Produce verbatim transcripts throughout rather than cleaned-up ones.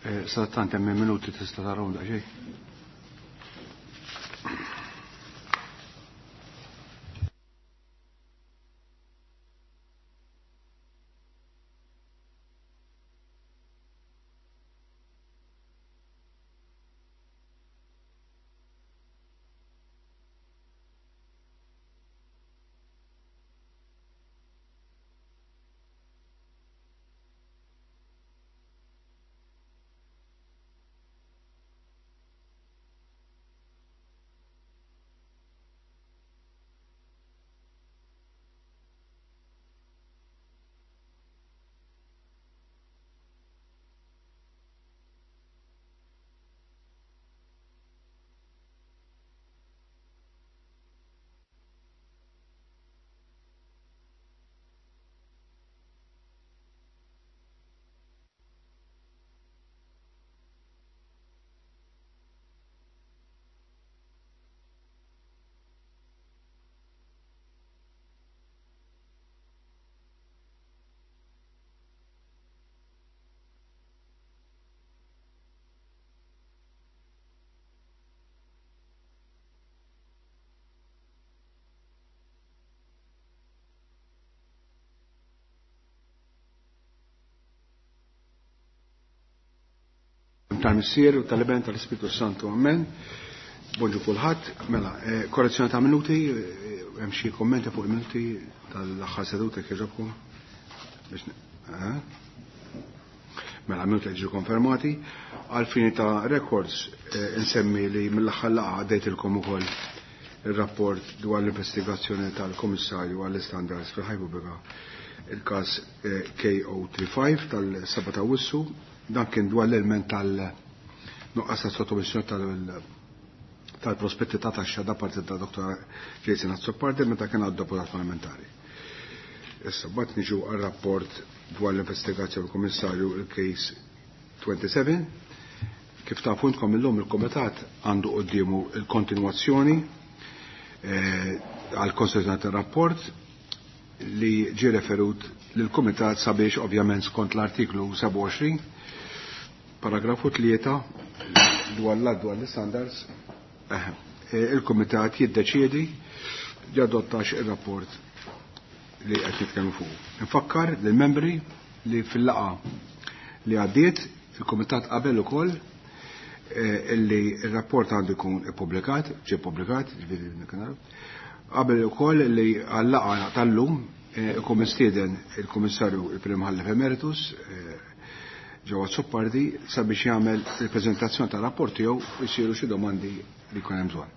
Sadattant hemm minuti tista' tarahom daqsxejn. Tal-Missier u tal-Iben tal-Ispiritu Santu. Amen. Bonġu kulħadd. Mela, korrezzjoni ta' minuti, hemm xi kommenti fuq il-minuti tal-aħħar seduta kieġobkom? Mela, minuti ġew konfermati. Għal fini ta' records insemmi li mill-aħħar laqgħa għaddejtilkom ukoll ir-rapport dwar l-investigazzjoni tal-Kummissarju għall-Istandards fil-Ħajja Pubblika, il-każ K O twenty-five tal-seba' ta' Awwissu. Dan kien dwar l-element tal-nuqqas ta' sottomissjoni tal-prospetti ta' taxxa da parti ta' Doktor Jason Azzopardi meta kien għad deputat parlamentari. Issa mbagħad niġu għar-rapport dwar l-investigazzjoni tal-Kummissarju il-case twenty-seven. Kif tafu intkom illum il-Kumitat għandu quddiemu l-kontinwazzjoni għall-konsultazzjoni tar-rapport li ġie referut lill-Kumitat sabiex ovvjament skont l-artiklu sebgħa u għoxrin paragrafu tlieta dwar l-att dwar l-standards, il-Kumitat jiddeċiedi jadottax ir-rapport li qed nitkellmu fuq. Infakkar lill-membri li fil-laqgħa li għaddiet il-Kumitat qabel ukoll illi r-rapport għandu jkun ippubblikat, ġie ppubblikat, ġifieri naraw. Qabel ukoll li għal-laqgħa tal-lum ikun mistieden il-Kummissarju il-Prim Imħallef Emeritus ġewwa Azzopardi sabiex jagħmel il-preżentazzjoni tar-rapport tiegħu u jsiru xi domandi li jkun hemm bżonn.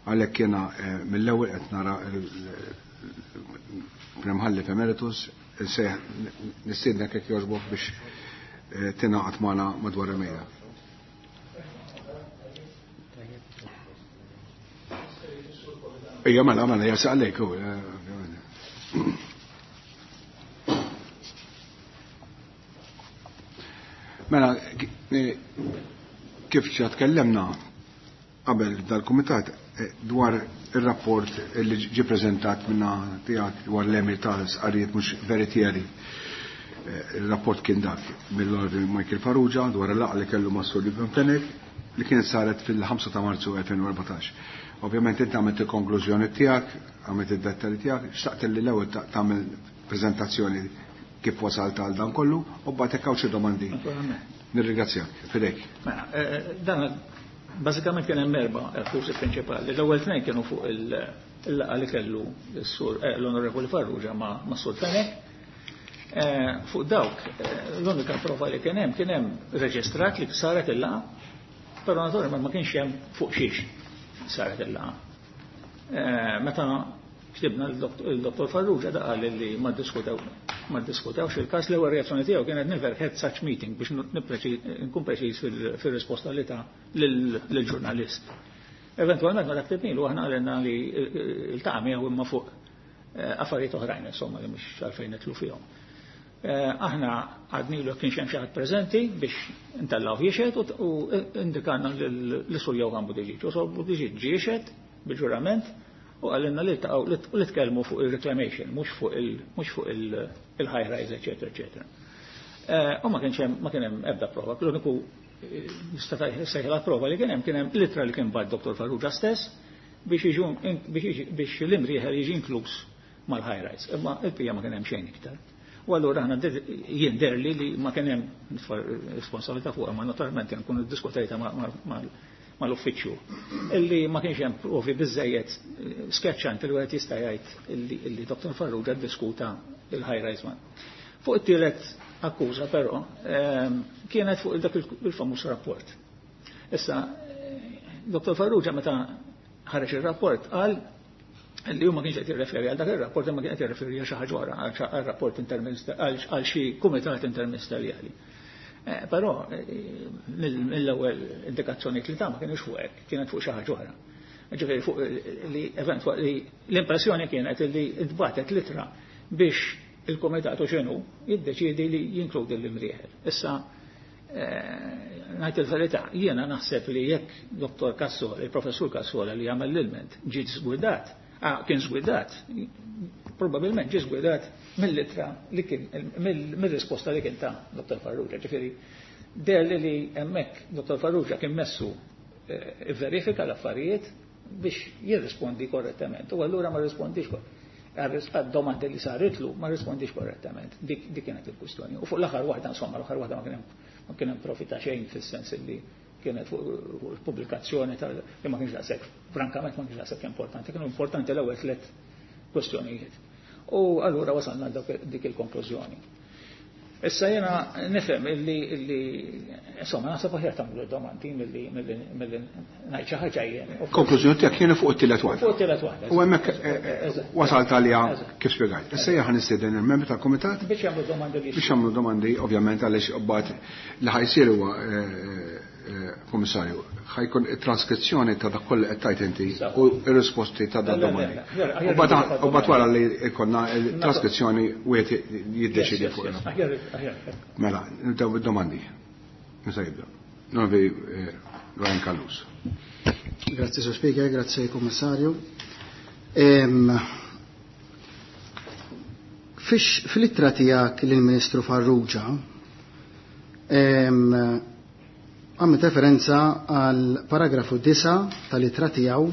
Għalhekk jiena mill-ewwel qed nara il-Prim Imħallef Emeritus nistiednek jekk jogħġbok biex tingħaqad magħna madwar il-mejda. Ejja mela mela jasaq għalejk hu. Mela, kif ġa tkellemna qabel dal-kumitat dwar ir-rapport li ġie preżentat minna tiegħek dwar l-emir ta' sqarrijiet mhux veritieri. Il-rapport kien dak mill-Onorevoli Michael Farrugia dwar il-laqgħa li kellu mas-Sur Ivan Fenech li kienet saret fil-ħamsa ta' Marzu elfejn u erbatax. Ovvjament inti għamilt il-konklużjoni tiegħek, għamilt id-dettalji tiegħek, xtaqt li l-ewwel tagħmel preżentazzjoni kif wasalt għal dan kollu u mbagħad hekk hawn xi domandi. Nirringrazzjak, fidejk. Mela, dan bażikament kien hemm erba' akkużi prinċipali. L-ewwel tnejn kienu fuq il-laqgħa li kellu s-sur l-Onorevoli Farrugia ma' Sur Fenech. Fuq dawk l-unika prova li kien hemm kien hemm reġistrat li saret il-laqgħa, però naturalment ma kienx hemm fuq xiex saret il-laqgħa. Meta ktibna l-Dottor Farrugia da qal li ma ddiskutew ma ddiskutewx il-każ, l-ewwel reazzjoni tiegħu kienet never had such meeting biex nkun preċiż fir-risposta li ta lill-ġurnalist. Eventwalment meta ktibnilu aħna qalilna li ltaqa' miegħu imma fuq affarijiet oħrajn insomma li mhux għalfejn nitlu fihom. Aħna għadnilu jekk kienx hemm xi ħadd preżenti biex ntellgħu jixhed u indikana lil Sur Johann Buttigieg. U Sur Buttigieg ġie jixhed bil-ġurament u għallinna li ltaqgħu li tkellmu fuq il-reclamation, mhux fuq il mhux fuq il-high rise, eċetera, eċetera. U ma kienx hemm ma kien hemm ebda prova. L-uniku nista' sejħla prova li kien hemm kien hemm litra li kien bagħat Dottor Farrugia stess biex jiġu biex l-Imrieħel jiġi inkluż mal-high rise. Imma il-pija ma kien hemm xejn iktar. U allura aħna jien derli li ma kien hemm responsabilità fuq, ma naturalment nkunu ddiskutejta mal-uffiċċju. Illi ma kienx hemm provi biżejjed sketchanti li wieħed jista' jgħid illi Dottor Farrugia ddiskuta il-high rise man. Fuq it-tielet akkuża però kienet fuq dak il-famuż rapport. Issa Dottor Farrugia meta ħareġ ir-rapport qal li huma kienx qed jirreferi għal dak ir-rapport imma kien qed jirreferi għal xi ħaġa oħra, għal rapport għal xi kumitat interministerjali. Però mill-ewwel indikazzjoni li ta' ma kienx fuq hekk, kienet fuq xi ħaġa oħra. Ġifieri fuq li eventwali l-impressjoni kienet li ntbatet litra biex il-kumitat u x'inhu jiddeċiedi li jinkludi l-Imrieħel. Issa ngħid il-verità, jiena naħseb li jekk Dottor Cassola, il-Professur Cassola li jagħmel l-ilment ġie żgwidat, kien żgwidat, probabilment ġie żgwidat mill-litra li kien mill-risposta li kien ta' Dottor Farrugia. Ġifieri deher li hemmhekk Dottor Farrugia kien messu verifika l-affarijiet biex jirrispondi korrettament. U allura ma rrispondix għad-domandi li saritlu ma rrispondix korrettament. Dik kienet il-kwistjoni. U fuq l-aħħar waħda, insomma, l-aħħar waħda ma kien hemm ma kien hemm profita xejn fis-sens li kienet fuq pubblikazzjoni tal li ma kienx daqshekk, frankament ma kienx daqshekk importanti, kienu importanti l-ewwel tliet kwestjonijiet. U allura wasalna dik il-konklużjoni. Issa jiena nifhem illi illi insomma naħseb aħjar tagħmlu domandi milli milli ngħid xi ħaġa jien. Konklużjoni tiegħek kienet fuq it-tielet waħda. Fuq it-tielet waħda. U hemmhekk wasalt għaliha kif spjegajt. Issa jien ħanistieden il-membri tal-kumitat biex jagħmlu domandi li biex jagħmlu domandi ovvjament għaliex mbagħad li ħajsir huwa Komissarju, ħajkun it-transkrizzjoni ta' dak kollu qed tajt inti u r-risposti ta' dak domandi. U mbagħad wara li jkollna il-transkrizzjoni wieħed jiddeċidi fuq. Mela, nibdew bid-domandi. Meta jibda. Novi Ryan Callus. Grazzi Sur Speaker, grazzi Kommissarju. Fil-ittra tiegħek lill-Ministru Farrugia, għamil referenza għal paragrafu disa tal-ittra tiegħu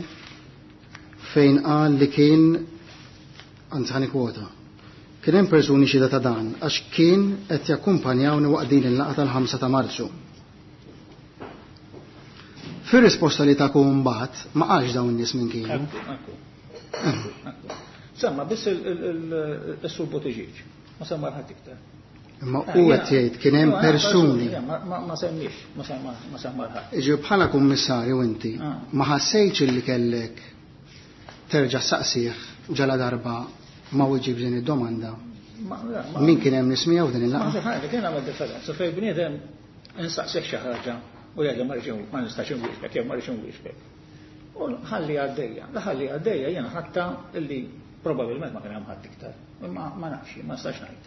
fejn qal li kien, anzi ħani kwota, kien hemm persuni xhieda ta' dan għax kien qed jakkumpanjawni waqt din il-laqgħa tal-ħamsa ta' Marzu. Fir-risposta li taku mbagħad ma qalx dawn in-nies minn kienu. Semma biss il-Sur Buttigieg, ma semma ħadd iktar. Imma u qed jgħid kien hemm persuni. Ma semmix, ma semma ħadd. Iġi bħala kummissarju inti ma ħassejtx illi kellek terġa' saqsih ġala darba ma wieġib din id-domanda. Min kien hemm nismiegħu f'din il-laqgħa? Ma kien hemm differenza fejn bniedem insaqsih xi ħaġa u jgħid ma rridx ma nistax inwieġbek jew ma rridx inwieġbek. U ħalli għaddejja, ħalli għaddejja jiena ħatta illi probabbilment ma kien hemm ħadd iktar. Imma ma nafx, ma nistax ngħid.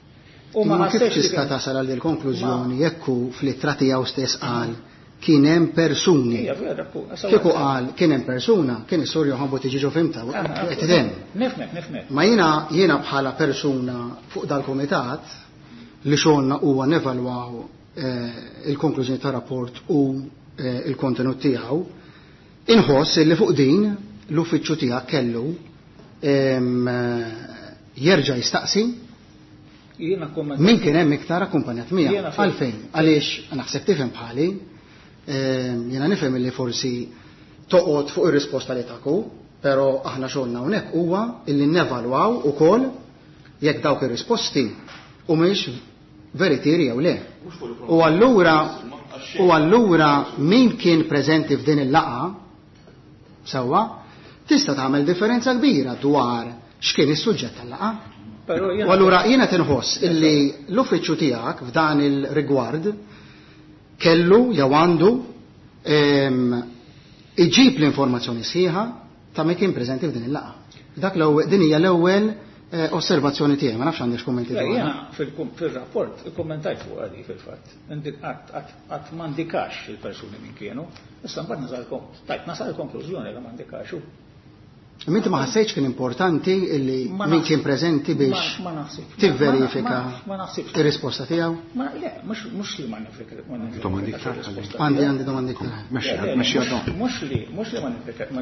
U ma kif tista' tasal għal il-konklużjoni jekk hu fl-ittra tiegħu stess qal kien hemm persuni. Kieku qal kien hemm persuna, kien is-Sur Johann Buttigieg fimta qed hemm. Nifhmek, nifhmek. Ma jiena jiena bħala persuna fuq dal-kumitat li xogħolna huwa nevalwaw il-konklużjoni ta' rapport u il-kontenut tiegħu, inħoss li fuq din l-uffiċċju tiegħek kellu jerġa' jistaqsi min kien hemm iktar akkumpanjat miegħu. Għalfejn? Għaliex naħseb tifhem bħali, jiena nifhem li forsi toqgħod fuq ir-risposta li taku, però aħna xogħolna hawnhekk huwa illi nevalwaw ukoll jekk dawk ir-risposti humiex veritieri jew le. U allura u allura min kien preżenti f'din il-laqgħa sewwa tista' tagħmel differenza kbira dwar x'kien is-suġġett tal-laqgħa. U allura jiena tinħoss illi l-uffiċċju tiegħek f'dan il-rigward kellu jew għandu iġib l-informazzjoni sħiħa ta' min kien preżenti f'din il-laqgħa. Dak l-ewwel, din hija l-ewwel osservazzjoni tiegħi, ma nafx għandek kummenti dwar. Jiena fil-rapport ikkummentajt fuq għadi fil-fatt. Qatt ma ndikax il-persuni min kienu, issa mbagħad nasal tajt nasal il-konklużjoni li ma ndikax. Inti ma ħassejtx kien importanti illi min kien preżenti biex tivverifika ir-risposta tiegħu? Ma le, mhux li ma nifverifika. Għandi għandi domandi iktar. Mhux li mhux li ma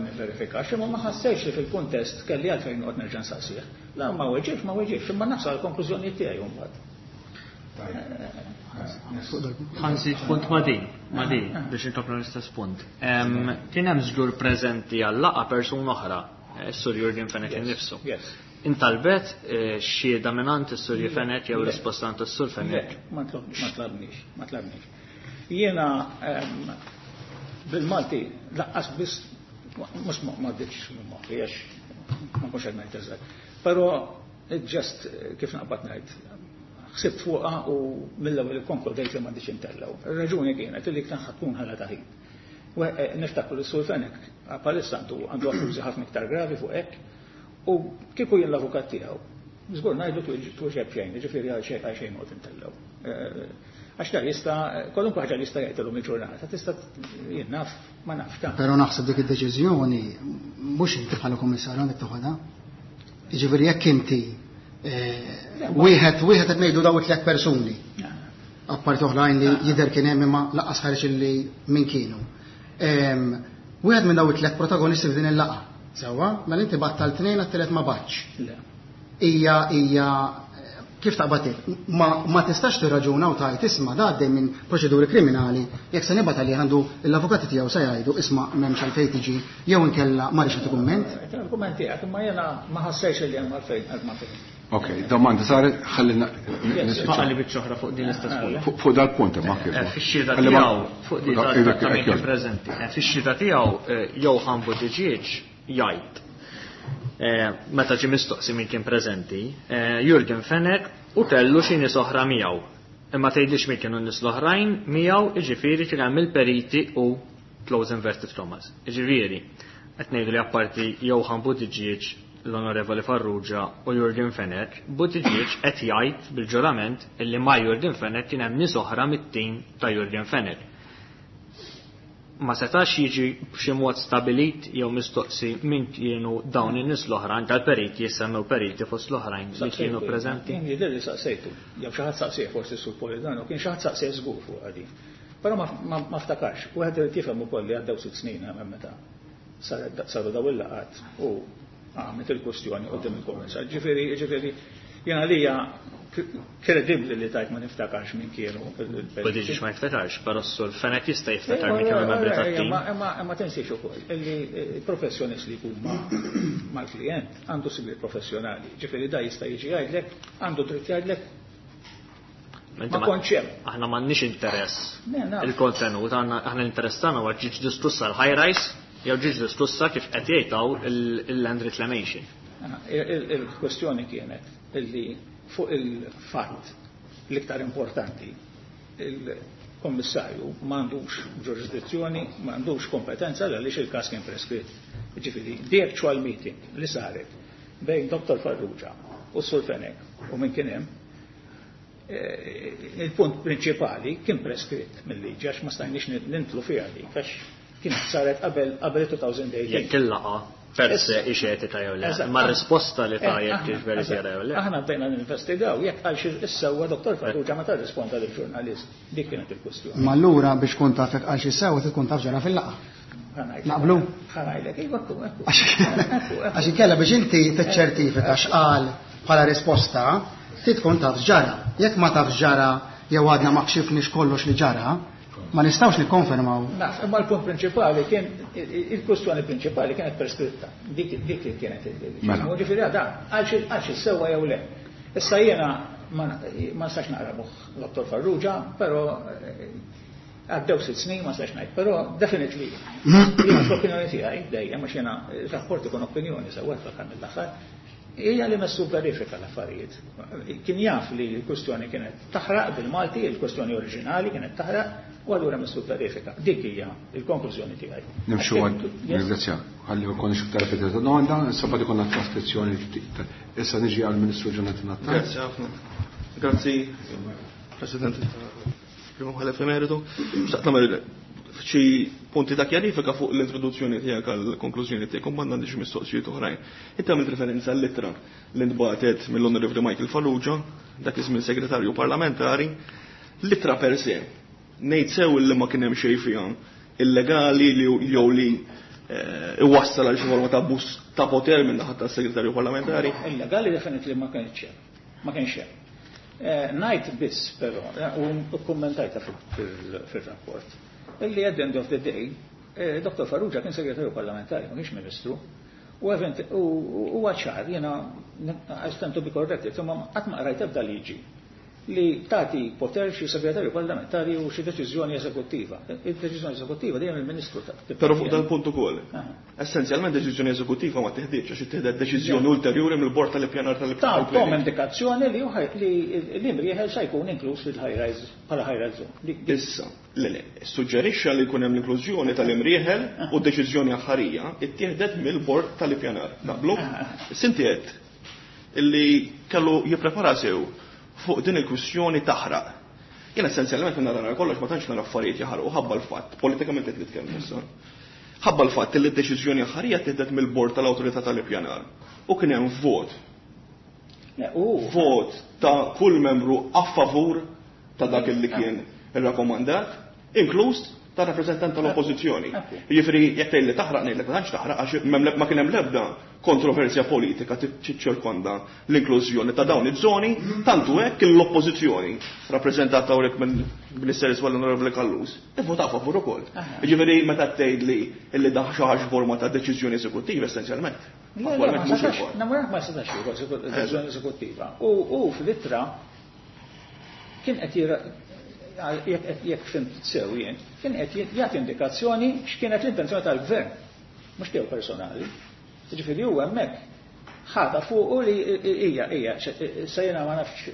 nifverifikax, imma ma ħassejtx li fil-kuntest kelli għalfejn noqgħod nerġa' nsaqsih. La ma weġibx, ma weġibx, imma nafsa l-konklużjoni tiegħi mbagħad. Ħanżid punt ma' din, ma' din biex inkomplu l-istess punt. Kien hemm żgur preżenti għal-laqgħa persuna oħra, is-Sur Yorgen Fenech innifsu. Intalbet xhieda mingħand is-Sur Fenech jew risposta għand is-Sur Fenech? Ma tlabniex, ma tlabniex. Jiena bil-Malti laqqas biss mhux ma għadditx minn moħħi għax ma nkunx qed ngħid eżatt. Però just kif naqbad ngħid ħsibt fuqha u mill-ewwel ikkonkludejt li m'għandix intellgħu. Ir-raġuni kienet li kien tkun ħala ta' ħin. Niftakru li s-Sur Fenech bħalissa għandu għandu akkużi ħafna iktar gravi fuq hekk u kieku jien l-avukat tiegħu. Żgur ngħidu twieġeb xejn, jiġifieri għal xejn għal xejn noqgħod intellgħu. Għax da jista' kwalunkwe ħaġa li jista' jgħidilhom il-ġurnata tista' jien naf ma nafx ta'. Però naħseb dik id-deċiżjoni mhux inti bħala kummissarju għandek toħodha. Jiġifieri jekk inti wieħed wieħed qed ngħidu daw it-tliet persuni. Apparti oħrajn li jidher kien hemm imma lanqas ħareġ illi min kienu. Wieħed minn daw it-tliet protagonisti f'din il-laqgħa. Sewwa, mela inti battal tnejn għat-tielet ma batx. Hija hija kif taqbad ma ma tistax tirraġuna u tgħid isma' da għaddej minn proċeduri kriminali, jekk se nibgħat għalih għandu l-avukati tiegħu se jgħidu isma' m'hemmx għalfejn tiġi jew inkella ma rridx nagħti kumment. Il-kumment tiegħek imma jiena ma ħassejx li hemm għalfejn għal ma fejn. Ok, domanda saret, ħallina nisbaqali biċċa oħra fuq din l-istess punt. Fuq dal-punt imma kif. Fix-xhieda tiegħu fuq din tal-trattament preżenti. Fix-xhieda tiegħu Johann Buttigieg jgħid meta ġie mistoqsi min kien preżenti, Yorgen Fenech u kellu xi nies oħra miegħu. Imma tgħidlix min kienu n-nies l-oħrajn miegħu, jiġifieri kien hemm il-periti u close inverted commas. Jiġifieri qed ngħidu li apparti Johann Buttigieg, l-Onorevoli Farrugia u Yorgen Fenech, Buttigieg qed jgħid bil-ġurament illi ma' Yorgen Fenech kien hemm nies oħra mit-tim ta' Yorgen Fenech. Ma setax jiġi b'xi mod stabilit jew mistoqsi min kienu dawn in-nies l-oħra, anke l-periti jissemmew periti fost l-oħrajn li kienu preżenti. Jien jidher li saqsejtu, jew xi ħadd saqsih forsi sur Polidano, kien xi ħadd saqsih żgur fuq għadi. Però ma ftakarx, wieħed irid jifhem ukoll li għaddew sitt snin hemm meta saru daw il-laqgħat u għamet il-kwestjoni qudiem il-kummissar. Ġifieri, ġifieri, jien għalija kredibbli li tajt ma niftakarx min kienu. Buttigieg ma jiftakarx, però s-Sur Fenech jista' jiftakar min kienu membri tat-tim. Imma tinsiex ukoll illi il-professjonist li jkun mal-klient għandu sigriet professjonali. Ġifieri da jista' jiġi jgħidlek, għandu dritt jgħidlek. Ma kontx hemm. Aħna m'għandniex interess il-kontenut, aħna l-interess tagħna huwa ġiġ distrussa l-high rise jew ġiġ distrussa kif qed jgħidaw il-land reclamation. Il-kwestjoni kienet illi fuq il-fatt l-iktar importanti il-kommissarju m'għandux ġurisdizzjoni, m'għandux kompetenza għaliex il-każ kien preskritt. Ġifieri, the actual meeting li saret bejn Dottor Farrugia u Sur Fenech u min kien hemm, il-punt prinċipali kien preskritt mill-liġi għax ma stajniex nintlu fiha dik għax kienet saret qabel qabel twenty eighteen. Jekk il-laqgħa per se ixetika jew le, ma risposta li ta' jekk kif veritiera jew le. Aħna bdejna ninvestigaw jekk għal xi issewwa Dottor Farrugia ma tirrisponda lill-ġurnalist. Dik kienet il-kwestjoni. Ma allura biex tkun taf jekk għal xi sewwa tkun taf ġara fil-laqgħa. Naqblu? Ħanajlek, iva, ekku, ekku. Għax inkella biex inti tiċċertifika x'qal bħala risposta, ti tkun taf ġara. Jekk ma taf ġara jew għadna ma kxifniex kollox li ġara, ma nistgħux nikkonfermaw. Naf, imma l-punt prinċipali kien il-kwestjoni prinċipali kienet preskritta. Dik dik kienet il-. Ġifieri għadha għal xi sewwa jew le. Issa jiena ma nistax naqra moħħ Dottor Farrugia, però għaddew sitt snin ma nistax ngħid, però definitely jiena fl-opinjoni tiegħi dejjem għax jiena rapport ikun opinjoni sewwa fl-aħħar mill-aħħar, hija li messu verifika l-affarijiet. Kien jaf li l-kwestjoni kienet taħraq bil-Malti, il-kwestjoni oriġinali kienet taħraq, u allura messu verifika. Dik hija il-konklużjoni tiegħi. Nimxu għad, ringrazzja. Ħalli ma konniex iktar repetita domanda, issa bad ikollna traskrizzjoni. Issa niġi għall-Ministru Jonathan Attard. Grazzi ħafna. Grazzi, President Primo Ħalef Emeritu. Xtaqt nagħmel xi punti ta' kjarifika fuq l-introduzzjoni tiegħek għall-konklużjoni tiegħek u mbagħad għandi xi mistoqsijiet oħrajn. Inti għamilt referenza għall-ittra li ntbagħtet mill-Onorevoli Michael Farrugia, dak iż-żmien segretarju parlamentari, l-ittra per se. Ngħid sew li ma kien hemm xejn fiha illegali li jew li iwassal għal xi forma ta' abbuż ta' poter minn naħa tas-segretarju parlamentari. Illegali definitely ma kienx hemm. Ma kienx hemm. Ngħid biss però, u kkummentajta fil-rapport, illi at the end of the day, Dottor Farrugia kien segretarju parlamentari, ma kienx ministru, u ċar, jiena I stand to be corrected, imma qatt ma qrajt ebda liġi li tagħti poter xi segretarju parlamentari u xi deċiżjoni eżekuttiva. Il-deċiżjoni eżekuttiva dejjem il-ministru ta'. Però fuq dal-punt ukoll. Essenzjalment deċiżjoni eżekuttiva ma teħdiġ għax ittieħdet deċiżjoni ulterjuri mill-bord tal-ippjanar tal-ippjanar. Tom indikazzjoni li l-Imrieħel se jkun inkluż fil-high rise bħala high rise zone. Issa, le le, suġġerixxa li jkun hemm l-inklużjoni tal-Imrieħel u d-deċiżjoni aħħarija ittieħdet mill-bord tal-ippjanar. Naqblu? Sinti qed illi kellu jipprepara sew fuq din il-kwistjoni taħraq. Jien essenzjalment minn nara kollox ma tantx nara affarijiet jaħarqu ħabba l-fatt, politikament qed nitkellmu issa. Ħabba l-fatt li d-deċiżjoni aħħarija tieħdet mill-bord tal-awtorità tal-ippjanar. U kien hemm vot. Vot ta' kull membru a favur ta' dak li kien irrakkomandat, inkluż ta' rappreżentant tal-oppożizzjoni. Jiġifieri jekk tgħid li taħraq ngħidlek ma tantx taħraq għax ma kien hemm l-ebda kontroversja politika tiċċirkonda l-inklużjoni ta' dawn iż-żoni, tantu hekk l-oppożizzjoni rappreżentata hawnhekk mill-Ministeru l-Onorevoli Callus ivvotaw favur ukoll. Jiġifieri meta tgħid li li daħ xi ħaġa forma ta' deċiżjoni eżekuttiva essenzjalment. Ma setax jieħu deċiżjoni eżekuttiva. U fl-ittra kien qed jekk fimt sew jien, kien qed jagħti indikazzjoni x'kienet l-intenzjoni tal-gvern, mhux tiegħu personali. Jiġifieri hu hemmhekk ħata fuqu li hija hija se jiena ma nafx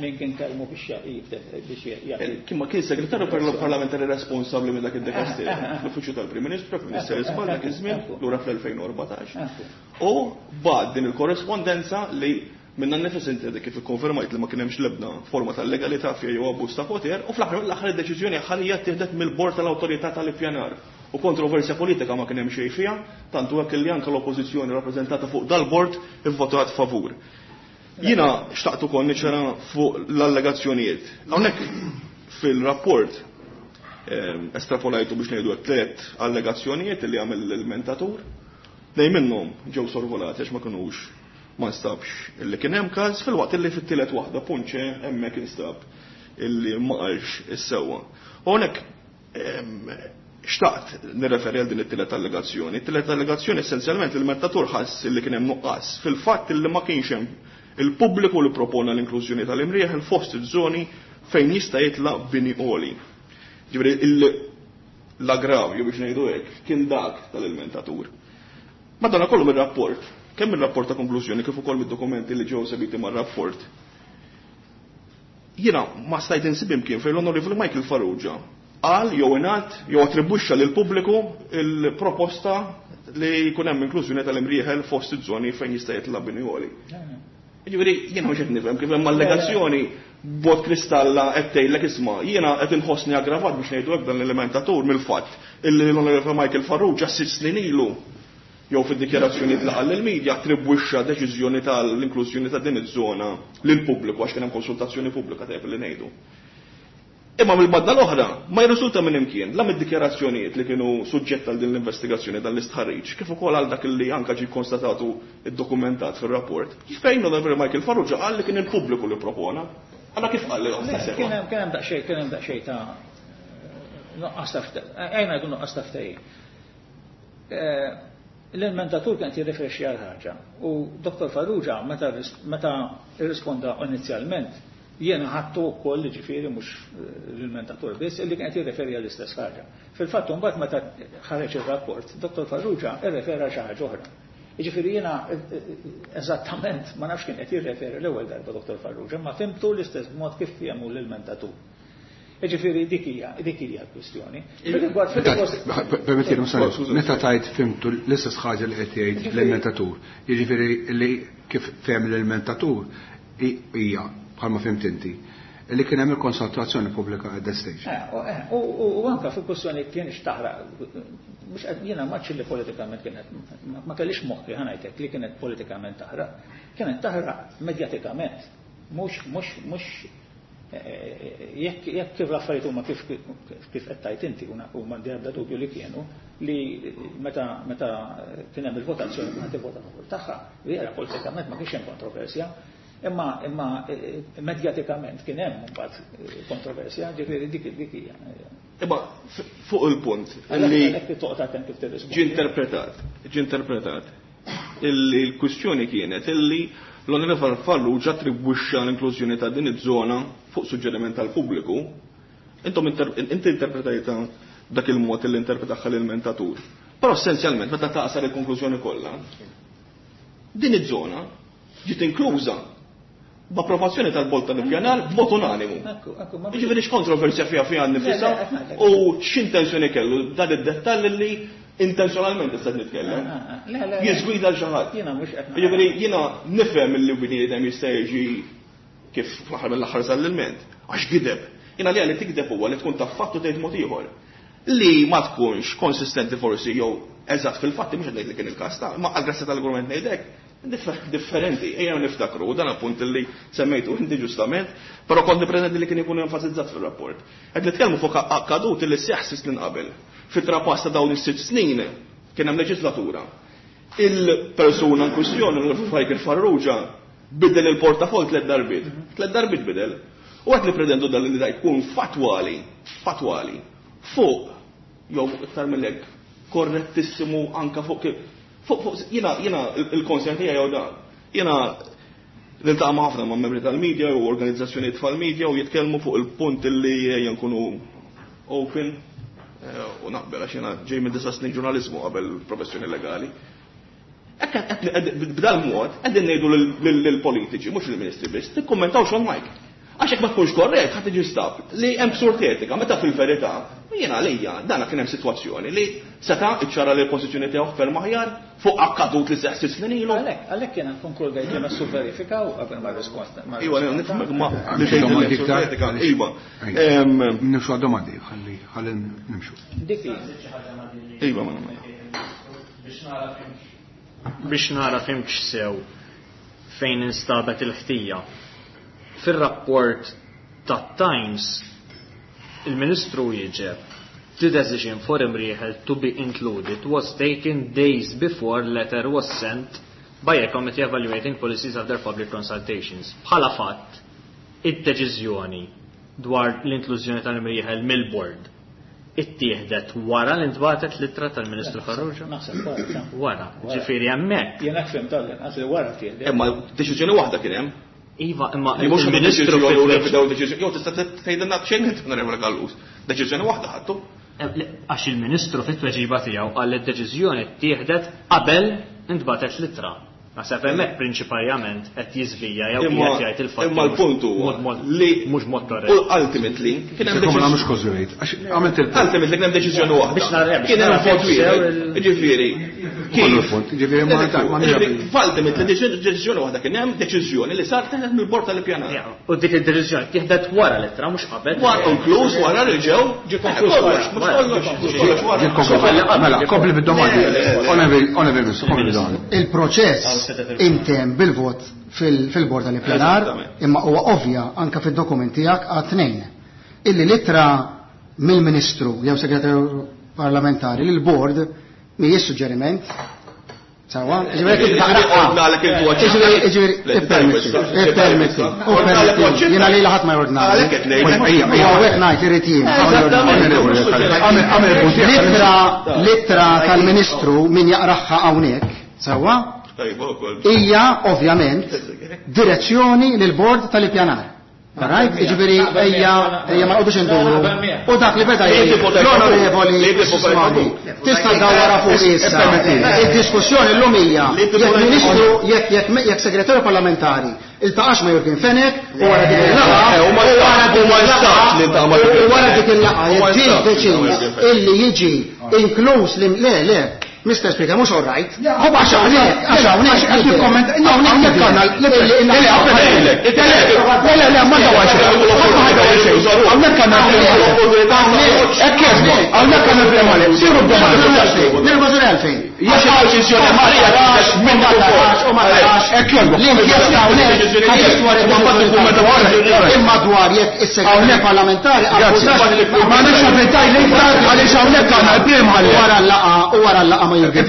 min kien kellmu biex biex jagħti. Kien ma kien segretarju parlamentari responsabbli minn dak id-dekasteru, l-Uffiċċju tal-Prim Ministru, Ministeru Żball dak iż-żmien lura fl-elfejn u erbatax. U bad din il-korrespondenza li minna nifis inti kif ikkonfermajt li ma kien hemmx l-ebda forma tal-legalità fiha jew abbuż ta' poter, u fl-aħħar mill-aħħar id-deċiżjoni ħalija ttieħdet mill-bord tal-awtorità tal-ippjanar. U kontroversja politika ma kien hemm xejn fiha, tantu hekk li anke l-oppożizzjoni rappreżentata fuq dal-bord ivvotat favur. Jiena xtaqt ukoll niċċara fuq l-allegazzjonijiet. Hawnhekk fil-rapport estrapolajtu biex ngħidu tliet allegazzjonijiet li għamel l-mentatur. Tnejn minnhom ġew sorvolati għax ma kinux ma nstabx illi kien hemm każ, filwaqt illi fit-tielet waħda punċe hemmhekk instab illi ma qalx is-sewwa. U hawnhekk xtaqt nirreferi għal din it-tielet allegazzjoni. It-tielet allegazzjoni essenzjalment il-mentatur ħass illi kien hemm nuqqas fil-fatt illi ma kienx hemm il-pubbliku li propona l-inklużjoni tal-Imrieħel fost iż-żoni fejn jista' jitla' bini għoli. Ġifieri l-aggravju biex ngħidu hekk kien dak tal-ilmentatur. Madonna kollu mir-rapport, kemm ir-rapport ta' konklużjoni kif ukoll mid-dokumenti li ġew sebiti mar-rapport. Jiena ma stajt insib imkien fejn l-Onorevoli Michael Farrugia qal jew ingħad jew attribwixxa lil pubbliku il-proposta li jkun hemm inklużjoni tal-Imrieħel fost iż-żoni fejn jista' jitla' bini għoli. Jiġifieri jiena mhux qed nifhem kif hemm allegazzjoni b'mod kristalla qed tgħidlek isma' jiena qed inħossni aggravat biex ngħidu hekk dan l-elementatur mill-fatt illi l-Onorevoli Michael Farrugia sitt snin ilu jew fid-dikjarazzjoni li qal lill-medja attribwixxa deċiżjoni tal-inklużjoni ta' din iż-żona lill-pubbliku għax kien hemm konsultazzjoni pubblika tajjeb li ngħidu. Imma mill-badda l-oħra ma jirriżulta minn imkien la mid-dikjarazzjonijiet li kienu suġġett għal din l-investigazzjoni dan l-istħarriġ kif ukoll għal dak li anke ġie konstatatu iddokumentat fir-rapport. Fejn Onorevoli Michael Farrugia qal li kien il-pubbliku li propona. Alla kif qal li Kien hemm kien hemm daqsxejn kien hemm daqsxejn ta' nuqqas ta' ejna jkun nuqqas ta' ftehim. L-ilmentatur kien jirrifrexxi għal ħaġa u Dottor Farrugia meta meta irrisponda inizjalment jiena ħadtu wkoll ġifieri mhux l-ilmentatur biss illi kien qed jirreferi għall-istess ħaġa. Fil-fatt imbagħad meta ħareġ ir-rapport, Dottor Farrugia irrefera xi ħaġa oħra. Jiġifieri jiena eżattament ma nafx kien qed jirreferi l-ewwel darba Dottor Farrugia, ma fimtu l-istess mod kif fiehmu l-ilmentatur. Jiġifieri dik hija dik hija l-kwistjoni. Permettili, meta tajt fimtu l-istess ħaġa li qed jgħid l-ilmentatur. Jiġifieri li kif fehem l-ilmentatur hija bħalma fimt inti. li kien hemm il-konsultazzjoni pubblika at that stage. U anka fil-kwestjoni kienx taħraq, mhux jiena ma li politikament kienet, ma kellix moħħi ħa ngħidlek li kienet politikament taħraq, kienet taħraq medjatikament, mhux mhux mhux jekk jekk kif l-affarijiet huma kif kif qed tgħid inti u m'għandi ebda dubju li kienu li meta meta kien hemm il-votazzjoni kulħadd ivvota favur tagħha, vera politikament ma kienx hemm kontroversja, imma imma medjatikament kien hemm mbagħad kontroversja, ġifieri dik dik hija. Imma fuq il-punt li toqgħod attent kif tirrispondi. Ġie interpretat, ġie interpretat illi l-kwistjoni kienet illi l-Onorevole Farrugia attribwixxa l-inklużjoni ta' din iż-żona fuq suġġeriment tal-pubbliku. Intom inti interpretajta dak il-mod li interpretaħħa l-ilmentatur. Però essenzjalment meta taqsar il-konklużjoni kollha, din iż-żona ġiet inkluża b'approvazzjoni tal-Bord tal-Ippjanar b'mod unanimu. Jiġifieri x'kontroversja fiha fiha nnifisha u x'intenzjoni kellu dan id-dettall li intenzjonalment issa nitkellem. Jiżgwida l xi ħadd. Jiġifieri jiena nifhem li bniedem jista' jiġi kif fl-aħħar mill-aħħar sal-ilment, għax gideb. Jiena li għalli tikdeb huwa li tkun taf fatt u tgħid mod ieħor. Li ma tkunx konsistenti forsi jew eżatt fil-fatti mhux qed ngħid li kien il-każ ta' ma għall-grazzja tal-argument ngħidlek differenti, ejja niftakru, u dan appunt li semmejtu inti ġustament, però kont nippreżenti li kien ikun enfasizzat fir-rapport. Qed nitkellmu fuq akkadut li seħħ sitt snin qabel. Fit-trapass ta' dawn is-sitt snin kien hemm leġislatura. Il-persuna in kwistjoni, l-Michael Farrugia, bidel il-portafol tliet darbiet. Tliet darbiet bidel. U qed nippretendu dan li da jkun fatwali, fatwali, fuq jew iktar mill-hekk korrettissimu anka fuq kif fuq fuq jiena jiena il-konsern tiegħi jew dan. Jiena niltaqa' ma' ħafna ma' membri tal-media u organizzazzjonijiet tal-media u jitkellmu fuq il-punt li ejja nkunu open u naqbel għax jiena ġej minn disa' snin ġurnaliżmu qabel professjoni legali. B'dal mod qegħdin ngħidu lill-politiċi, mhux lill-ministri biss, tikkummentawx on mic. Għax hekk ma tkunx korrett ħadd tiġi stab li hemm ksur etika, meta fil-verità jiena għalija dana kien hemm sitwazzjoni li seta' iċċara li l-pożizzjoni tiegħu ferm aħjar fuq akkadut li seħħ sitt snin ilu. Għalhekk, għalhekk jiena konkludejt li messu verifikaw qabel ma risposta. Iva, nifhmek ma li tgħid li hemm etika, iva. Nimxu għad-domandi, ħalli ħalli nimxu. Dik Iva, ma nagħmel. Biex nara fimx sew fejn instabet il-ħtija. Fir-rapport tat-Times, il-Ministru jieġeb the decision for Imrieħel to be included was taken days before letter was sent by a committee evaluating policies after public consultations. Bħala fatt, id-deċiżjoni dwar l-inklużjoni tal-Imrieħel mill-board ittieħdet wara li ntbagħtet l-ittra tal-Ministru Farrugia? Naħseb wara. Wara, ġifieri hemmhekk. Jien hekk fhimt tal-inqas li wara tieħdet. Imma deċiżjoni waħda kien hemm. Iva, imma Li mhux il-Ministru deċiżjoni u fit- revidew deċiżjoni, jew tista' tgħidilna xejn int Onorevole Gallus. Deċiżjoni waħda ħadtu. Għax il-Ministru fit-tweġiba tiegħu qal li d-deċiżjoni ttieħdet qabel intbagħtet l-ittra. Naħseb hemmhekk prinċipalment qed jiżvija jew Imma qiegħed jgħid il-fatt. imma l-punt huwa li mhux mod korrett. U ultimately kien hemm Sekom deċiżjoni. mhux kożwejt, għax għamilt il-punt. Ultimately kien hemm deċiżjoni waħda. Biex nara- biex Kien hemm nara vot sew wieħed. il- Jiġifieri. Kollu l-punt, jiġifieri ma ma Jiġifieri, ultimately deċiżjoni waħda kien hemm deċiżjoni li sar teħdet mill-bord tal-ippjanar. Ja, U dik id-deċiżjoni ttieħdet wara l-ittra mhux qabel. Wara konkluż wara li ġew Ġie konkluż wara. Kollox, mhux kollox, mhux kollox wara. Ġie konkluż. Mela, kompli bid-domandi. Onorevoli Russo, kompli bid-domandi. Il-proċess intemm bil-vot fil-bord tal-ippjanar, imma huwa ovvja anka fid-dokument tiegħek għad tnejn. Illi l-ittra mill-Ministru jew Segretarju Parlamentari lil bord mhijiex suġġeriment. Sawa, ġifieri kif taqraqha. Ordnalek il-voċ. Ġifieri, ġifieri, ippermetti, ippermetti, ippermetti. Jiena lili ħadd ma jordnali. Għalhekk qed ngħidlek. Ejja, ejja. Hawnhekk ngħid irid jien. Għamel għamel il-punt tiegħek. L-ittra l-ittra tal-Ministru min jaqraħħa hawnhekk, sewwa? Tajba wkoll. Hija ovvjament direzzjoni lil bord tal-ippjanar. Right? Jiġifieri ejja ejja ma nqogħdux induru. U dak li beda jgħid l-onorevoli Sismani, tista' dawwara fuq issa. Id-diskussjoni llum hija jekk ministru jekk jekk jekk segretarju parlamentari iltaqax ma' Jurgen Fenech u wara dik il-laqgħa Eh, u ma u wara dik u ma jistax li il-laqgħa iltaqa' ma' Jurgen u wara Fenech. dik il-laqgħa U ma jekk ġie jistax li iltaqa' ma' deċiż Jurgen Fenech. illi jiġi inkluż li le le Mister Speaker, mhux all right. Għax hawnhekk, għax hawnhekk Għax nikkomment, hawnhekk għandna le le le le le ma dawax. Hawnhekk għandna hekk jogħġbok, hawnhekk għandna il-problema. Siru d-domandi. Nervożi għalfejn. Għax deċiżjoni Marija minn ma tarax u ma tarax. Hekk jogħġbok. L-inkjesta hawnhekk imma dwar jekk is-segretarju parlamentari ma nafx għaventaj l-iktar għaliex hawnhekk għandna il-prim ħalli. Wara l-laqgħa u wara l-laqgħa ma Jurgen.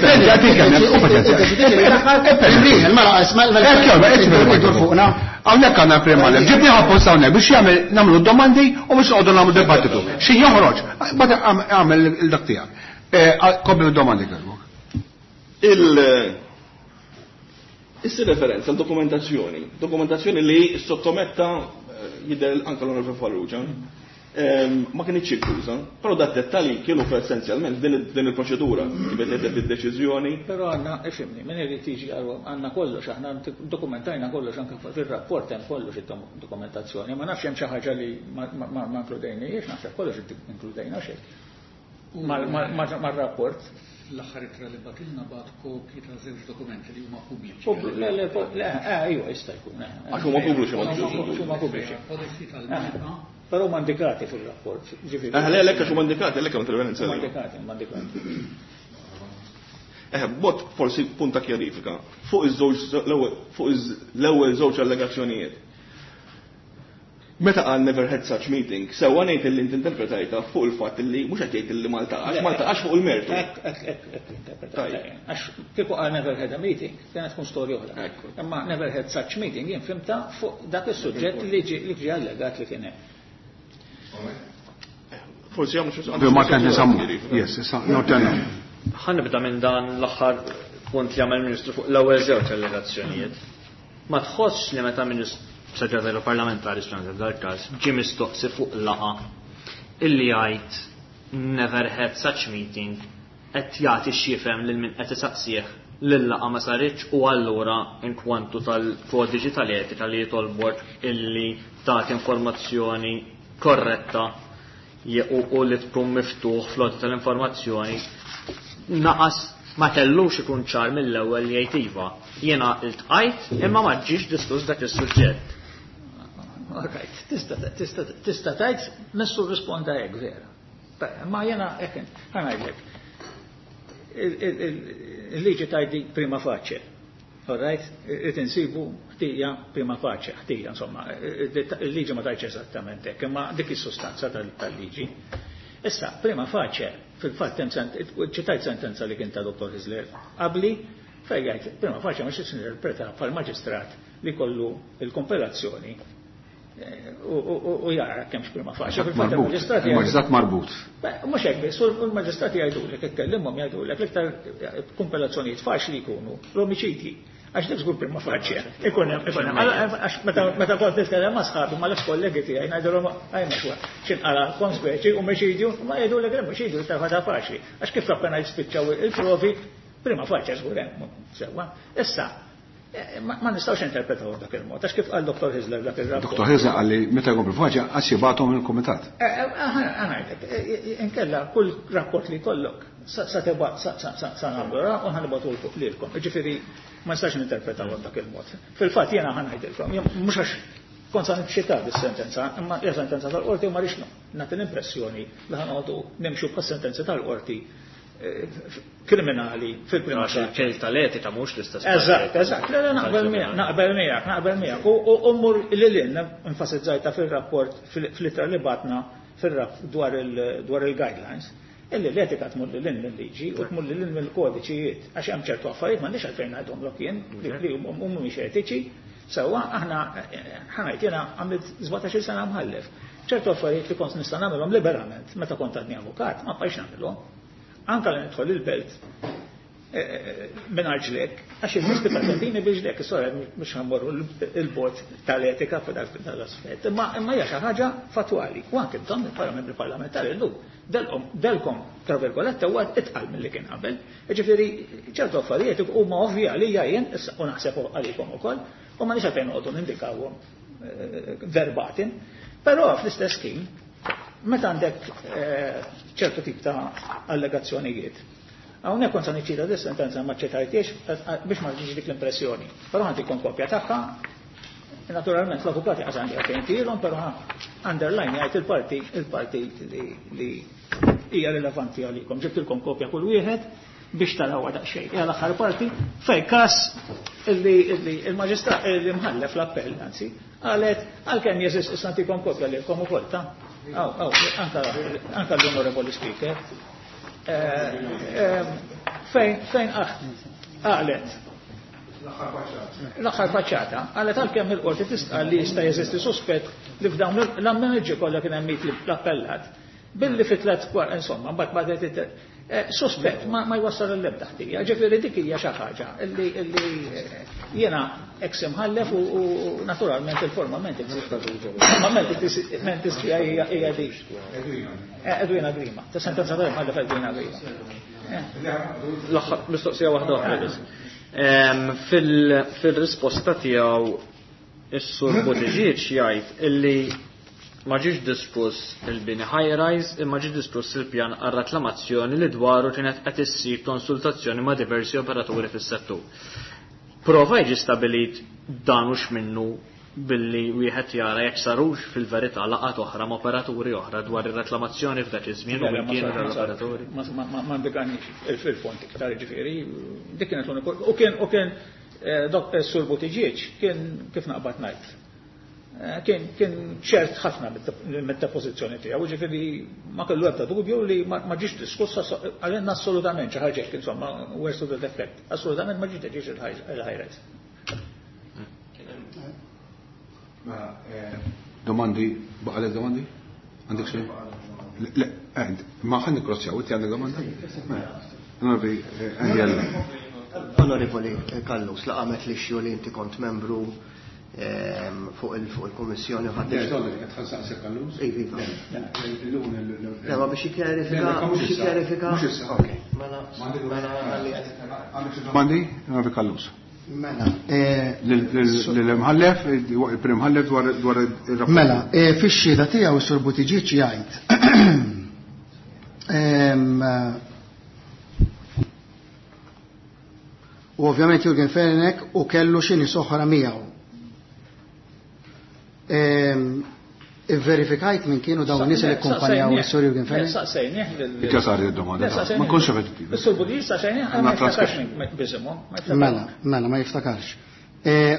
Hawnhekk għandna il-prim ħalli. Ġibni apposta hawnhekk biex jagħmel nagħmlu domandi u biex noqogħdu nagħmlu dibattitu. Xi joħroġ, bada għamel il-dak tiegħek. Kompli domandi kellek. Il Issa referenza għal dokumentazzjoni, dokumentazzjoni li sottometta jidher anke l-Onorevoli Farrugia, ma kienx inkluża, però dat dettalji kienu essenzjalment din il-proċedura kif qed id-deċiżjoni. Però għandna ifhimni, min irid jiġi għandna kollox, aħna dokumentajna kollox anke fir-rapport hemm kollox id-dokumentazzjoni, ma nafx hemm xi ħaġa li ma inkludejniex, naħseb kollox inkludejna xejn. Mar-rapport. L-aħħar ittra li batilna bat kopji ta' żewġ dokumenti li huma pubbliċi. Le, le, le, ejwa jista' jkun. Għax huma pubbliċi ma huma pubbliċi. Kodiċi tal-Malta. Però huma indikati fir-rapport. Ġifieri. Eh, le, għax huma indikati, għalhekk hemm referenza. Huma indikati, huma indikati. Eh, bot forsi punta kjarifika fuq iż-żewġ fuq l-ewwel żewġ allegazzjonijiet. Meta qal never had such meeting, sewwa ngħid li inti interpretajta fuq il-fatt li mhux qed jgħid li ma ltaqax, ma ltaqax fuq il-mertu. Hekk hekk hekk interpretajta. Għax kieku qal never had a meeting, kienet tkun storja oħra. Imma never had such meeting jien fimta fuq dak is-suġġett li ġie li ġie allegat li kien hemm. Forsi hemm xi Ma kien nisammu. Yes, issa no tenna. Ħa nibda minn dan l-aħħar punt li għamel Ministru fuq l-ewwel żewġ allegazzjonijiet. Ma tħossx li meta Ministru segretarju parlamentari f'dan il-każ ġie mistoqsi fuq laqgħa illi jgħid never had such meeting qed jagħti x'jifhem lil min qed isaqsih lil laqgħa ma saritx u allura inkwantu tal-kodiċi tal-etika li jitolbok illi tagħti informazzjoni korretta u li tkun miftuħ flott tal-informazzjoni naqas ma kellux ikun ċar mill-ewwel li jgħid iva. Jiena iltqajt imma ma ġiex diskuss dak is-suġġett. All right, tista tista tgħid messu risponda hekk vera. Ma jiena hekk ħa ngħidlek. Il-liġi tgħidli prima facie. All right, irid insibu ħtija prima facie, ħtija insomma, il-liġi ma tgħidx eżattament hekk, imma dik is-sustanza tal-liġi. Issa, prima facie, fil-fatt hemm ċitajt sentenza li kien ta' Dottor Hyzler qabli, fejn jgħid prima facie mhux interpreta bħal-maġistrat li kollu il-kompilazzjoni u jara kemmx prima facie. Fil-fatt il-maġistrati il-maġistrat marbut. Mhux hekk biss, u l-maġistrati jgħidulek, ikkellimhom jgħidulek l-iktar kompilazzjonijiet faċli jkunu l-omiċidji. Għax dik żgur prima facie. Ikun hemm, ikun hemm. Għax meta kont nitkellem ma' sħabi mal-ex kollegi tiegħi ngħidulhom għaj ma xwa, x'inqala konspeċi omiċidju, ma jgħidulek l-omiċidju iktar ħaġa faċli. Għax kif appena jispiċċaw il-provi, prima facie żgur hemm sewwa. Issa, ma nistgħux interpretaw dak il-mod, għax kif qal Dottor Hyzler dak ir-rapport. Dottor Hyzler qal li meta jkun prima għax jibgħathom il-kumitat. Ngħidlek, inkella kull rapport li jkollok sa tibgħat sa nagħmlu u ħanibgħatu lilkom. Jiġifieri ma nistax ninterpretaw dak il-mod. Fil-fatt jiena ħa ngħidilkom, mhux għax kont sa nixxita dis-sentenza, imma hija sentenza tal-qorti u ma rridx nagħti l-impressjoni li ħanqogħdu nimxu bħas-sentenza tal-qorti kriminali fil-prima facie. Il-kejl tal-etika mhux l-istess. Eżatt, eżatt. Le, le, naqbel miegħek, naqbel miegħek, naqbel miegħek. U mmur lil hinn enfasizzajta fir-rapport fl-ittra li batna fir-rapp dwar il-guidelines. Illi l-etika tmur lil hinn mill-liġi u tmur lil hinn mill-kodiċijiet għax hemm ċertu affarijiet m'għandix għalfejn ngħidhomlok jien li mhumiex etiċi. Sewwa aħna ħanajt jiena għamilt sbatax-il sena mħallef. Ċertu affarijiet li kont nista' nagħmilhom liberament meta kont għadni avukat ma bqajx nagħmilhom. Anka li nidħol il-belt mingħajr ġlek, għax il-nies tippermettini biex ġlek, sorry, mhux ħammorru il-bot tal-etika f'dak l-aspett, imma imma hija xi ħaġa fatwali. U anke intom bħala membri parlamentari llum delkom delkom tra virgolette huwa itqal milli kien qabel. Jiġifieri ċertu affarijiet huma ovvja li jien issa u naħseb għalikom ukoll, u ma nix għalfejn noqogħdu nindikawhom verbatim, però fl-istess ħin meta għandek ċertu tip ta' allegazzjonijiet. Hawnhekk kont se niċċita dis sentenza ma ċċetajtiex biex ma ġiġ dik l-impressjoni. Però ħantikom kopja tagħha. Naturalment l-avukati qas għandi għalfejn tilhom, però underline jgħid il-parti il-parti li hija rilevanti għalikom. Ġibtilkom kopja kull wieħed biex tarawha daqsxejn. Hija l-aħħar parti fejn każ illi il-maġistrat li mħallef l-appell anzi qalet għalkemm jeżist issa ntikom kopja lilkom ukoll ta' aw aw anka l-Onorevoli Speaker. Fejn fejn qalet l-aħħar faċċata qalet għalkemm il-qorti tistqal li jista' jeżisti suspett li f'dawn l-ammenġi kollha kien hemm l-appellat billi fi tliet kwar insomma mbagħad bagħdet suspett ma jwassal l-ebda ħtija. Ġifieri dik hija xi ħaġa illi jiena ex imħallef u naturalment il-formalment formalment hija dik. Edwina Grima, ta' sentenza ta' imħallef Edwina Grima. L-aħħar mistoqsija waħda oħra biss. Fil-risposta tiegħu is-Sur Buttigieg jgħid illi ma ġiex diskuss il-bini high-rise imma ġie diskuss il-pjan għal reklamazzjoni li dwaru kienet qed issir konsultazzjoni ma' diversi operaturi fis-settur. Prova jiġi stabilit dan hux minnu billi wieħed jara jekk sarux fil-verità laqgħat oħra ma' operaturi oħra dwar ir-reklamazzjoni f'dak iż-żmien u min kienu l-operaturi. Ma ndikanix fil-fond iktar ġifieri, dik kienet l-uniku. U kien u kien dok Sur Buttigieg kien kif naqbad ngħid. Kien kien ċert ħafna mid-depożizzjoni tiegħu, ġifieri ma kellu ebda dubju li ma ġiex diskussa għalina assolutament xi ħaġa hekk insomma words to that effect. Assolutament ma ġiex deċiż il-high-rise. Domandi, baqalek domandi? Għandek xejn? Le, ma ħan nikrossjaw, inti għandek domanda? Onorevoli Angela. Onorevoli Callus, la qamet li xju li inti kont membru fuq il-Kummissjoni ħadd. Iva. Le, ma biex jikkjarifika, biex jikkjarifika. Mela, mela Domandi, Onorevoli Callus. Mela, l-imħallef, il-prim imħallef dwar ir-rapport. Mela, fix-xhieda tiegħu s-Sur Buttigieg jgħid. U ovvjament Jurgen Fenech u kellu xi nies oħra miegħu. Ivverifikajt minn kienu dawn nies li kkumpanjaw is-Sur Jurgen Fenech? Saqsejnieh lil Dik sar id-domanda. Ma nkunx repetittiv. Is-Sur Buttigieg saqsejnieh ma jiftakarx minn bisimhom. Mela, mela ma jiftakarx.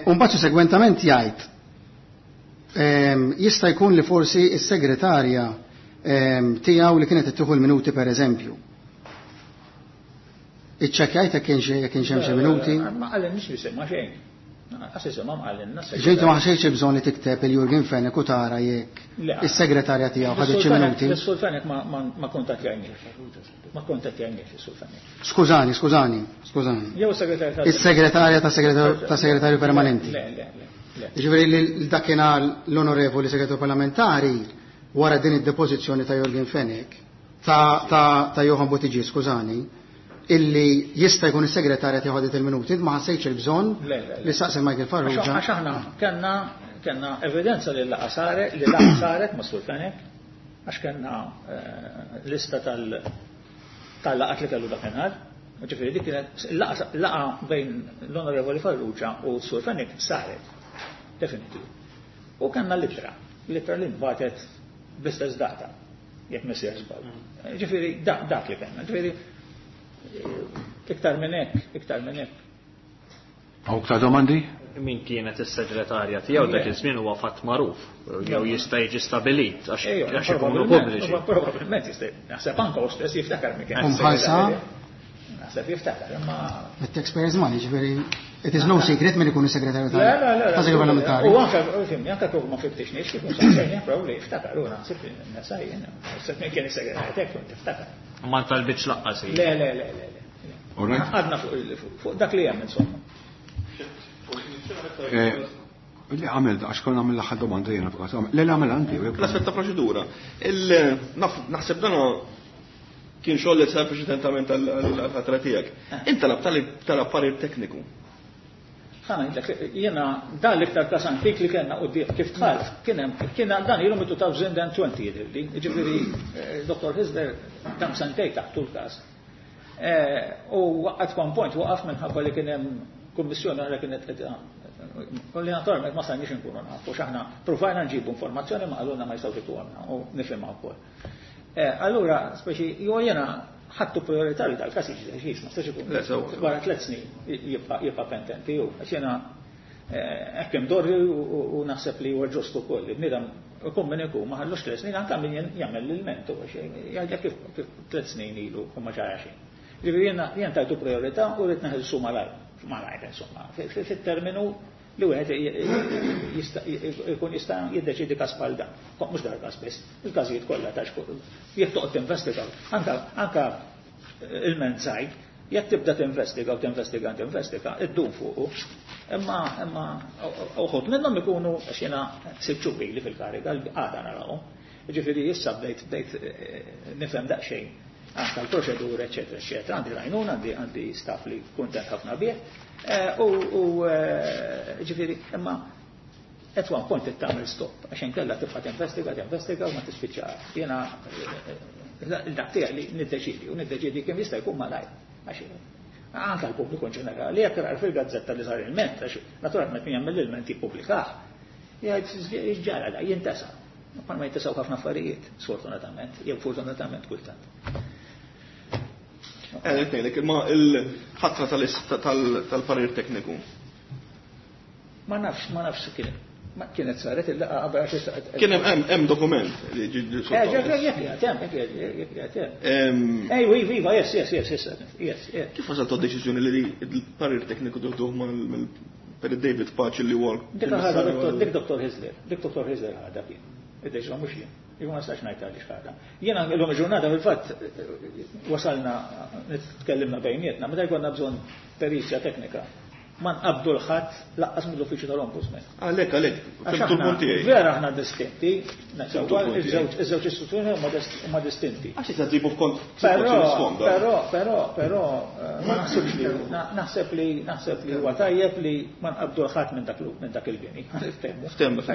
U mbagħad segwentament jgħid jista' jkun li forsi s-segretarja tiegħu li kienet ittieħu l-minuti pereżempju. Iċċekkjajt jekk kienx jekk kienx hemm xi minuti? Ma qalilniex bisimha xejn. Ġejtu ma ħaxejx bżonn li tikteb il-Jurgen Fenech u tara jekk is-segretarja tiegħu ħadet xi minuti. Is-Sur Fenech ma kuntattjajniex. Ma kuntattjajniex is-Sur Fenech. Skużani, skużani, skużani. Jew is-segretarja. Is-segretarja ta' segretarju permanenti. Le, le, le. Jiġifieri li dakinhar l-onorevoli segretarju parlamentari wara din id-depożizzjoni ta' Jurgen Fenech ta' Johann Buttigieg, skużani, illi jista' jkun is-segretarja tiegħu ħadet il-minuti, ma ħassejtx il-bżonn li saqsi Michael Farrugia. Għax aħna kellna kellna evidenza li l-laqgħa saret, li laqgħa saret ma' Sur Fenech, għax kellna lista tal-laqgħat li kellu dakinhar. Ġifieri dik kienet laqgħa bejn l-Onorevoli Farrugia u Sur Fenech saret, definitiv. U kellna l-ittra, l-ittra li nbatet bl-istess data, jekk ma jsirx żball. Ġifieri dak li kellna, ġifieri iktar minn hekk, iktar minn hekk. Hawn iktar domandi? Min kienet is-segretarja tiegħu dak iż-żmien huwa fatt magħruf, jew jista' jiġi stabilit għax ikunu pubbliċi. Probabbilment jista' naħseb anke hu stess jiftakar min kien. Umħalsa? Naħseb jiftakar, imma It-taxpayers money, ġifieri it is no secret min ikun is-segretarju tal-Segretarju Parlamentari. U anke, fimni, anke kieku ma fittixniex, kieku saqsejnieh probabbli jiftakar, u naħseb nesa jien, naħseb min kien is-segretarju tiegħek kont tiftakar. Ma talbitx laqqas. Le, le, le, le, le. Għadna fuq dak li hemm insomma. Li għamil, għax konna għamil l-aħħar domanda jiena f'każ. Le, le għamil għandi. L-aspett ta' proċedura. Naħseb dan kien xogħol li sar preċedentament għall-ħatra tiegħek. Inti talab parir tekniku. Ħa ngħidlek, jiena dan l-iktar każ antik li kellna quddiem kif dħalt, kien hemm kien dan ilhom two thousand twenty jidhirli, jiġifieri Doctor Hyzler dam sentej taħt l-każ. U at one point waqaf minħabba li kien hemm kummissjoni oħra kienet qed Li naturalment ma stajniex inkunu nafu, x'aħna provajna nġibu informazzjoni ma qalulna ma jistgħux jtuhomna u nifhimha wkoll. Allura, speċi, jew jiena ħadtu priorità li dal-każ jiġi deċiż, ma stax ikun. Wara tliet snin jibqa' pendenti jew għax jiena hekk imdorri u naħseb li huwa ġust ukoll. Il-bniedem ikun min ikun ma ħallux tliet snin anke min jagħmel l-ilment u jgħidlek kif tliet snin ilu u ma ġara xejn. Ġifieri jiena jien tajtu priorità u rrid neħilsu malajr, malajr insomma, fit-terminu li wieħed ikun jista' jiddeċidi każ bħal dan. Mhux dar każ biss, il-każijiet kollha ta' jekk toqgħod tinvestiga, anke anke il-ment żgħir, jekk tibda tinvestiga u tinvestiga tinvestiga, iddum fuqu. Imma imma uħud minnhom ikunu għax jiena sitt xhur ili fil-kariga għada narawhom. Ġifieri issa bdejt bdejt nifhem daqsxejn anke l-proċedura, eċetera, eċetera. Għandi l-għajnuna, għandi għandi staff li kuntent ħafna bih. U ġifieri imma at one point tagħmel stop għax inkella tibqa' tinvestiga, tinvestiga u ma tispiċċa. Jiena dak tiegħi li niddeċidi u niddeċidi kemm jista' jkun malajr. Għax anke l-pubbliku in ġenerali jekk jara fil-gazzetta li sar il-ment, għax naturalment min jagħmel l-ilment jippubblikah, jgħid ġara da jintesa. Ma ma jintesaw ħafna affarijiet, sfortunatament, jew fortunatament kultant. Eh, ngħidlek, imma il-ħatra tal-parir tekniku. Ma nafx, ma nafx kien. Ma kienet saret il-laqgħa qabel għax Kien hemm hemm dokument li ġi Eh, jekk jgħid hemm, jekk jgħid hemm. Ej, iva, yes, yes, yes, yes, yes. Kif wasalt deċiżjoni li l-parir tekniku tuħduh mal-Perit David Pace li huwa Dik ħadha dik Dottor Hyzler, dik Dottor Hyzler ħadha kien. Id-deċiżjoni mhux jien. Jien ma nistax ngħid għaliex ħadha. Jiena llum il-ġurnata fil-fatt wasalna nitkellimna bejnietna, meta jkollna bżonn perizja teknika. Ma nqabdu l-ħadd laqqas mill-uffiċċju tal-Ombudsman. Għalhekk, għalhekk, fimtu l-punt tiegħi. Vera aħna distinti, iż-żewġ iż-żewġ istituzzjoni huma distinti. Għax issa tġibu f'kont Però, però, però, però, ma naħsibx li naħseb li naħseb li huwa tajjeb li ma nqabdu l-ħadd minn dak minn dak il-bini. Ftehmu.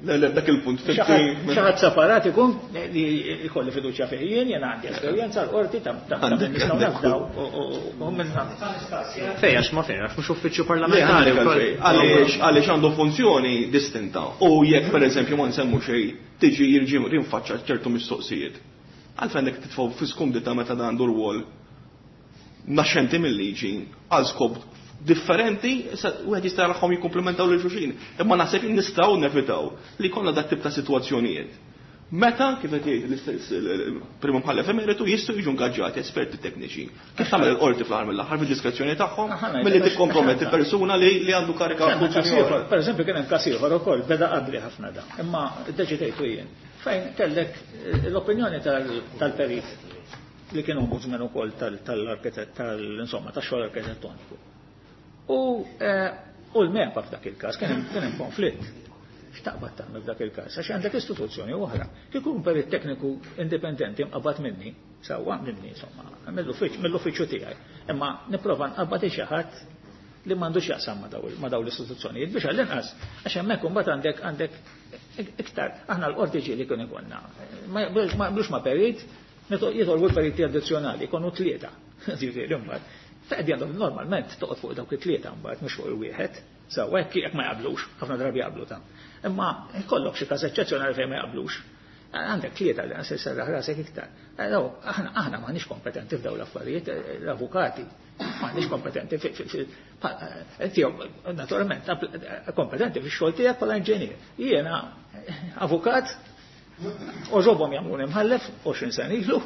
Le, le, dak il-punt. Xi ħadd separat ikun li jkolli fiduċja fih jien, jien għandi esperjenza l-qorti ta' nistgħu nafdaw u minna. Fejn għax ma fejn għax mhux uffiċċju parlamentari Għaliex għaliex għandu funzjoni distinta u jekk pereżempju ma nsemmu xejn tiġi jirġi rinfaċċa ċertu mistoqsijiet. Għalfejn għandek titfgħu fi skumdità meta dan għandu rwol naxxenti mill-liġi għal skop differenti, wieħed jista' jarahom jikkumplementaw lil xulxin. Imma naħseb nistgħu nevitaw li jkollna dak tip ta' sitwazzjonijiet. Meta, kif qed jgħid l-istess il-Prim Imħallef Emeritu, jistgħu jiġu ingaġġati esperti tekniċi. Kif tagħmel il-qorti fl-aħħar mill-aħħar fid-diskrezzjoni tagħhom milli tikkomprometti persuna li li għandu karika funzjoni oħra. Per eżempju kien hemm każ ieħor ukoll beda qabli ħafna dan, imma ddeċidejtu jien. Fejn kellek l-opinjoni tal-perit li kien ombudsman ukoll tal-arkitett tal-insomma tax-xogħol arkitettoniku. U u l-MEPA f'dak il-każ kien hemm konflitt. X'taqbad tagħmel f'dak il-każ? Għax għandek istituzzjoni oħra. Kieku perit tekniku indipendenti mqabbad minni, sewwa minni insomma, mill-uffiċċju tiegħi. Imma nipprova nqabbad xi ħadd li m'għandux jaqsam ma' dawn l-istituzzjonijiet biex għall-inqas għax hemmhekk imbagħad għandek għandek iktar aħna l-qorti ġieli kien ikollna. Ma jaqblux ma' perit, jitolbu l-periti addizzjonali, jkunu tlieta. Ġifieri imbagħad. Faqdi għandhom normalment toqgħod fuq dawk it-tlieta mbagħad mhux fuq il-wieħed. Sewwa hekk jekk ma jaqblux, ħafna drabi jaqblu ta'. Imma jkollok xi każ eċċezzjonali fejn ma jaqblux. Għandek tlieta li se serraħ rasek iktar. Aħna aħna m'aħniex kompetenti f'dawn l-affarijiet, l-avukati m'aħniex kompetenti inti naturalment kompetenti fix-xogħol tiegħek bħala inġinier. Jiena avukat oġobhom jagħmluni mħallef għoxrin sena ilu,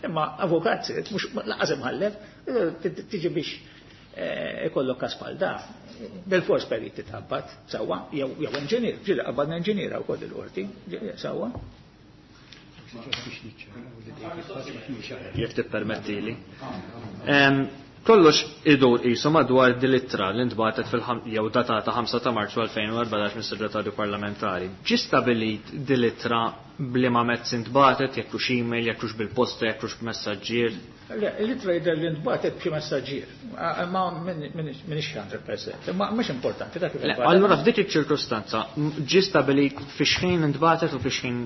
imma avukat sirt mhux laqas imħallef, tiġi biex ikollok każ bħal da. Bil-fors perit titħabbat, sewwa, jew inġinier, ġieli qabadna inġiniera wkoll il-qorti, sewwa. Jekk tippermettili. Kollox idur qisu madwar din l-ittra li ntbagħtet fil jew datata ħamsa ta' Marzu elfejn u erbatax mis-Segretarju Parlamentari. Ġie stabilit din l-ittra b'liema mezz intbagħtet, jekk hux email, jekk hux bil-posta, jekk hux b'messaġġier? Le, l-ittra jidher li ntbagħtet b'xi messaġġier, ma minix hundred percent, imma mhux importanti dak kif intbagħtet. Allura f'dik iċ-ċirkustanza ġie stabilit fi xħin intbagħtet u fi xħin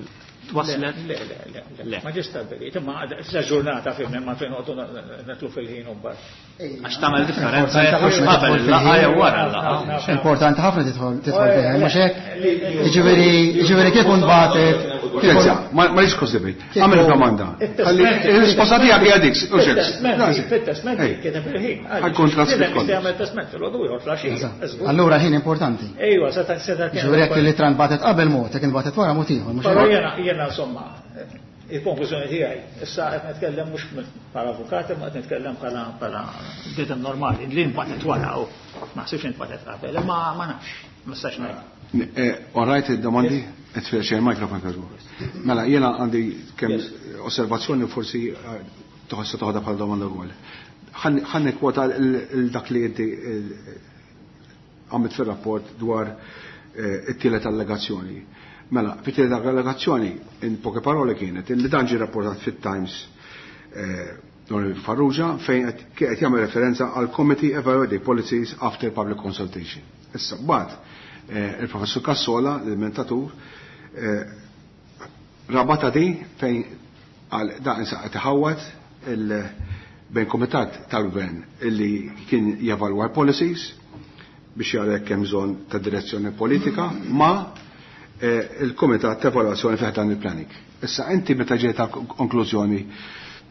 Twaslet? Le, le, le, le. Ma ġie stabbilit, imma sa ġurnata fim, imma fejn noqogħdu netlu fil-ħin u mbagħad. Għax tagħmel differenza jekk hux qabel il-laqgħa jew wara l-laqgħa. Importanti ħafna tidħol tidħol fiha, mhux hekk? Jiġifieri jiġifieri kieku nbatet. Kieku ma rridx kosibit. Għamel domanda. Il-risposta tiegħek hija dik, u xek. Fit-testment kien hemm il-ħin. Ħajkun traskritt kollox. Jagħmel testment fil-għodu ieħor fl-għaxija. Allura ħin importanti. Ejwa, seta' seta' Jiġifieri jekk il-ittra nbatet qabel mod, jekk inbatet wara mod ieħor, mhux Però hekk? jiena jiena insomma, il-konklużjoni tiegħi, issa qed nitkellem mhux bħala avukat, imma qed nitkellem bħala bħala bniedem normali, li nbatet wara u ma ħsibx intbatet qabel, imma ma nafx, ma nistax ngħid. All right, domandi? Qed il-mikrofon kazbu. Mela, jiena għandi kemm osservazzjoni forsi toħossa toħodha bħala domanda wkoll. Ħa nikkwota dak li inti għamilt fir-rapport dwar it-tielet allegazzjoni. Mela, fit-tielet allegazzjoni, in poche parole kienet, li dan ġie rapportat fit-Times Onorevoli Farrugia fejn qed jagħmel referenza għal Committee Evaluating Policies After Public Consultation. Issa, mbagħad il-Professur Cassola, l-mentatur, rabata di fejn għal dan issa qed iħawwad bejn komitat tal-gvern illi kien jevalwa l-policies biex jara jekk hemm bżonn ta' direzzjoni politika ma il-komitat ta' evalwazzjoni fih dan il-planning. Issa inti meta ġejt ta' konklużjoni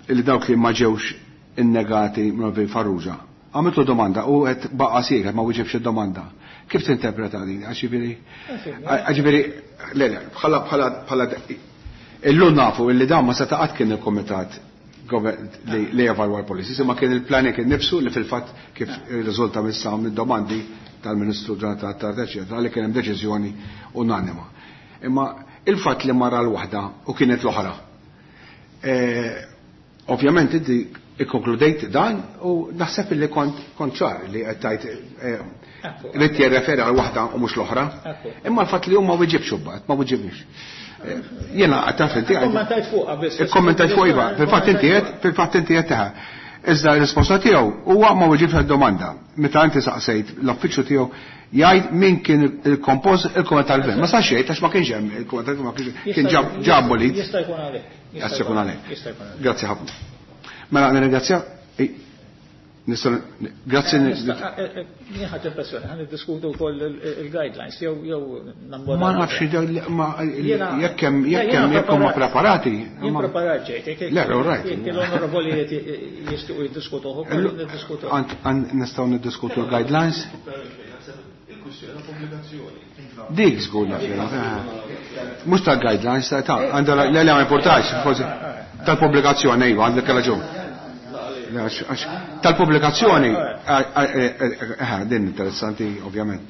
li dawk li ma ġewx innegati minn Farrugia, għamiltu domanda u qed baqa' sieket ma wieġibx id-domanda. Kif tinterpreta din? Għax jiġifieri ġifieri le le bħala bħala bħala illum nafu illi dan ma seta' qatt kien il-komitat li jevalwa l-policies, imma kien il-planning innifsu li fil-fatt kif irriżulta missa mid-domandi tal-Ministru Jonathan Attard, eċetera, li kien hemm deċiżjoni unanima. Imma il-fatt li mara l-waħda u kienet l-oħra. Ovvjament inti ikkonkludejt dan u naħseb li kont kont ċar li qed tajt li jirreferi għal waħda u mhux l-oħra. Imma l-fatt li huma wieġibx imbagħad, ma wieġibx. Jiena taf inti Ikkommentajt fuqha biss. Ikkommentajt fuq iva, fil-fatt inti qed, fil-fatt inti qed teħa. Iżda r-risposta tiegħu huwa ma wieġibx għad-domanda. Meta inti saqsejt l-uffiċċju tiegħu jgħid min kien il-kompost il-komitat tal-gvern. Ma sax jgħid għax ma kienx hemm il-komitat tal-gvern ma kienx kien ġab bolit. Jista' jkun għalhekk. Jista' jkun għalhekk. Jista' jkun għalhekk. Grazzi ħafna. Mela nirringrazzja. Grazzi. Jien ħadt impressjoni, ħa niddiskutu wkoll il-guidelines jew jew nagħmlu. Ma nafx jekk hemm jekk hemm jekk huma preparati. Jien preparat ġejt. Le, all right. Jekk l-onorevoli jixtiequ jiddiskutu ukoll niddiskutu. Nistgħu niddiskutu l-guidelines? Dik żgur naf. Mhux tal-guidelines, ta' għandha le le ma importax, forsi tal-pubblikazzjoni iva, għandek raġun. Tal-pubblikazzjoni, din interessanti ovvjament.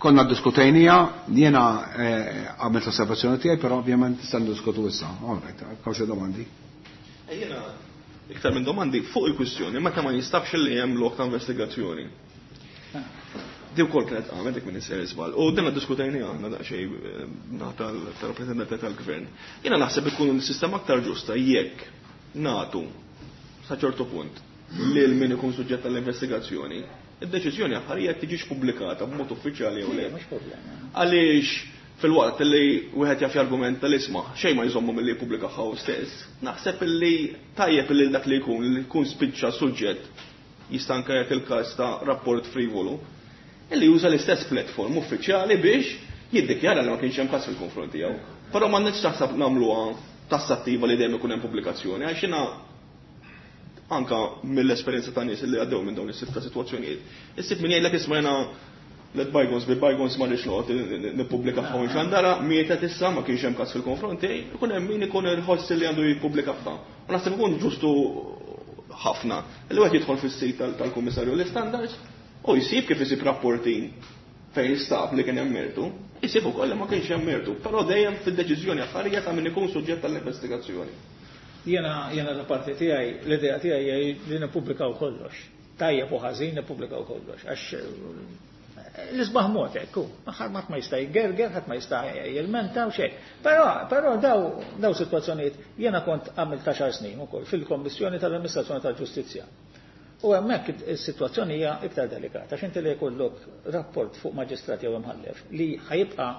Konna diskutejnija, jiena għamilt l-osservazzjoni tiegħi, però ovvjament nista' ndiskutu issa. All right, hawn xi domandi. Jiena iktar minn domandi fuq il-kwistjoni, meta ma jinstabx li hemm lok ta' investigazzjoni. Di wkoll kienet għamet dik minn isser iżbal. U dinna diskutejni għandna daqsxejn tal-rappreżentanti tal-gvern. Jiena naħseb ikun sistema aktar ġusta jekk nagħtu sa ċertu punt lil min ikun suġġett tal-investigazzjoni, id-deċiżjoni aħħarija tiġix pubblikata b'mod uffiċjali jew le. Għaliex fil-waqt li wieħed jaf jargumenta l-isma' xejn ma jżommu milli jippubblikaha hu stess, naħseb illi tajjeb illi dak li jkun li jkun spiċċa suġġett jista' anke jagħti il-każ ta' rapport frivolu, illi juża l-istess platform uffiċjali biex jiddikjara li ma kienx hemm każ fil-konfront tiegħu. Però m'għandniex taħseb nagħmluha tassattiva li dejjem ikun hemm pubblikazzjoni, għax jiena anka mill-esperjenza ta' nies li għaddew minn dawn is-sitt ta' sitwazzjonijiet. Issib min jgħidlek isma' jiena let bygones be bygones ma rridx noqgħod nippubblikaha u nxandara, mietet issa ma kienx hemm każ fil-konfront tiegħi, ikun hemm min ikun irħoss li għandu jippubblikaha. U naħseb ikun ġustu ħafna li wieħed jidħol fis-sit tal-Kummissarju l-Istandards u jsib kif isib rapporti fejn jistab li kien hemm mertu, jsib ukoll li ma kienx hemm mertu, però dejjem fid-deċiżjoni aħħarija ta' min ikun suġġett tal-investigazzjoni. Jiena jiena da parti tiegħi, l-idea tiegħi hija li nippubblikaw kollox. Tajjeb u ħażin nippubblikaw kollox għax l-isbaħ mod hekk hu, ħadd ma jista' jgerger, ħadd ma jista' jilmenta u xejn. Però però daw daw sitwazzjonijiet jiena kont għamilt għaxar snin ukoll fil-Kommissjoni tal-Amministrazzjoni tal-Ġustizzja. U hemmhekk is-sitwazzjoni hija iktar delikata għax inti li jkollok rapport fuq maġistrat jew imħallef li ħajibqa'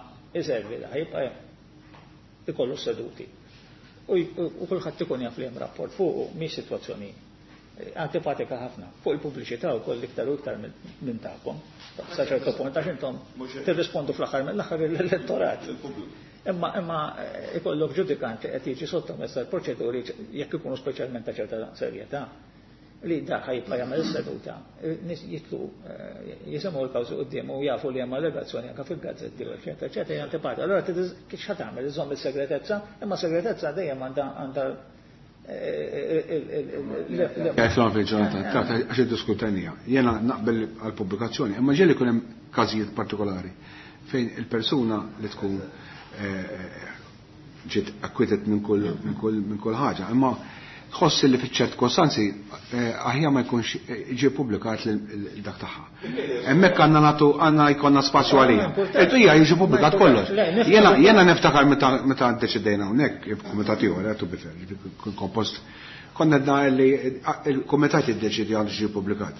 iservi da jibqa' ikollu seduti. U kulħadd ikun jaf li hemm rapport fuq mhix sitwazzjoni antipatika ħafna. Fuq il-pubbliċità wkoll iktar u iktar minn tagħkom. Sa ċertu punt għax intom tirrispondu fl-aħħar mill-aħħar l-elettorat. Imma imma ikollok ġudikant li qed jiġi sottomess għal proċeduri jekk ikunu speċjalment ta' ċerta serjetà li dak ħajibqa' jagħmel is-seduta. Nies jitlu jisimgħu l-kawżi quddiem u jafu li hemm allegazzjoni anke fil-gazzetti u eċetera eċetera hija antipatika. Allura kif xa tagħmel iżomm is-segretezza, imma segretezza dejjem għandha għandha Għetlan fil-ġurnata, għax id-diskutenija. Jena naqbel għal-pubblikazzjoni, imma ġieli jkun hemm każijiet partikolari fejn il-persuna li tkun ġiet acquitted minn kull minn kull minn kull ħaġa, imma tħoss li fiċ-ċert kostanzi aħjar ma jkunx ġie pubblikat dak tagħha. Hemmhekk għandna nagħtu għandna jkollna spazju għalija. Hija jiġi pubblikat kollox. Jiena jiena niftakar meta meta ddeċidejna hawnhekk, il-kumitat ieħor to be fair, kien kompost konna għedna li il-kumitat jiddeċidi għandu ġie pubblikat.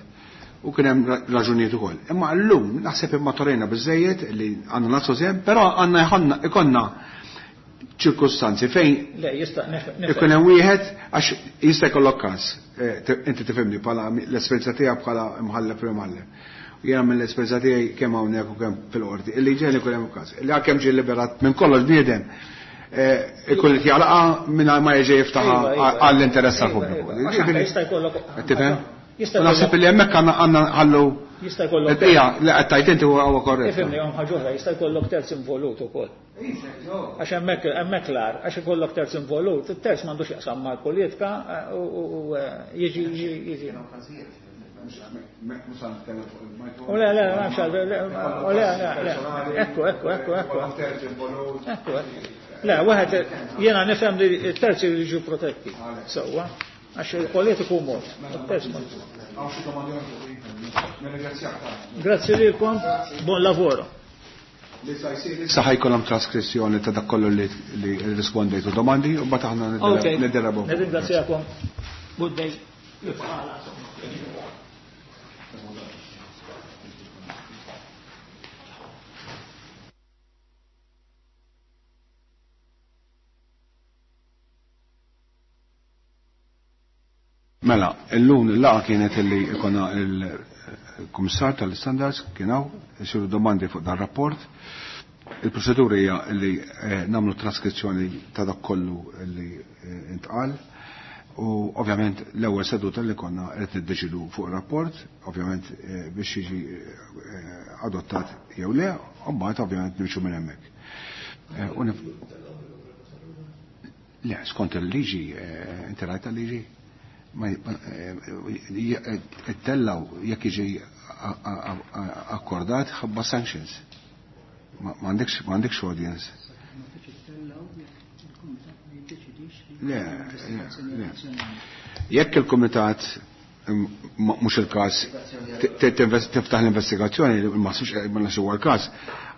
U kien hemm raġunijiet ukoll. Imma llum naħseb immaturejna biżejjed li għandna nagħtu sehem, però għandna ikollna ċirkustanzi fejn Le, jista' ikun hemm wieħed għax jista' jkollok każ. Inti tifhimni bħala l-esperjenza tiegħek bħala imħallef jew imħallef. Jiena mill-esperjenza tiegħi kemm hawnhekk u kemm fil-qorti. Illi ġieli jkun hemm każ. Illi għalkemm ġie liberat minn kollox bniedem ikun qed jagħlaqha mingħajr ma jerġa' jiftaħha għall-interess tal-pubbliku. Jista' jkollok. Tifhem? Naħseb li hemmhekk għandna ħallu jista' jkollok. Ija, li qed tgħid inti huwa korrett. Ifhimni hemm ħaġa oħra, jista' jkollok terz involut ukoll. Għax hemmhekk hemmhekk l-ar, għax ikollok terz involut, it-terz m'għandux jaqsam mal-politika u jiġi jiġi. U le, le, m'hemmx u le, le, ekku, ekku, ekku, ekku. Ekku, le, wieħed jiena nifhem li t-terzi jiġu protetti. Sewwa, għax il-politiku mod, it-terz mod. Grazie lilkom, buon lavoro. Issa ħajkollhom traskrizzjoni ta' dak kollu li rispondejtu domandi u mbagħad aħna nidderabhom. Nirringrazzjakom. Good day. Mela, illum il-laqa kienet illi ikona il-Kummissar tal-Standards kien hawn, isiru domandi fuq dan rapport. Il-proċedura hija li nagħmlu traskrizzjoni ta' dak kollu li intqal u ovvjament l-ewwel seduta li konna qed niddeċidu fuq ir-rapport, ovvjament biex jiġi adottat jew le, u mbagħad ovvjament nimxu minn hemmhekk. Le, skont il-liġi, inti rajt il-liġi? Ma ittellaw jekk jiġi akkordat ħabba sanctions. Ma għandekx audience. Le, le. Jekk il-kumitat mhux il-każ tiftaħ l-investigazzjoni, ma nafx huwa l-każ,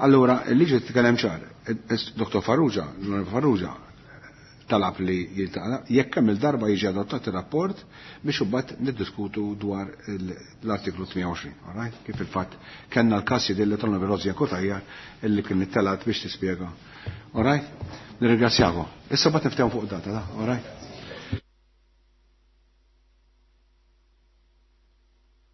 allura il-liġi titkellem ċar. Dottor Farrugia, l-Onorevoli Farrugia, talab li jiltaqa' jekk kemm il-darba jiġi adottat ir-rapport biex imbagħad niddiskutu dwar l-artiklu tmien u għoxrin, all right? Kif il-fatt kellna l-każ jidilli tal-Onorevoli Rozia Cutajar illi kien ittelat biex tispjega. All right? Nirringrazzjakom. Issa mbagħad niftehmu fuq data, da, all right?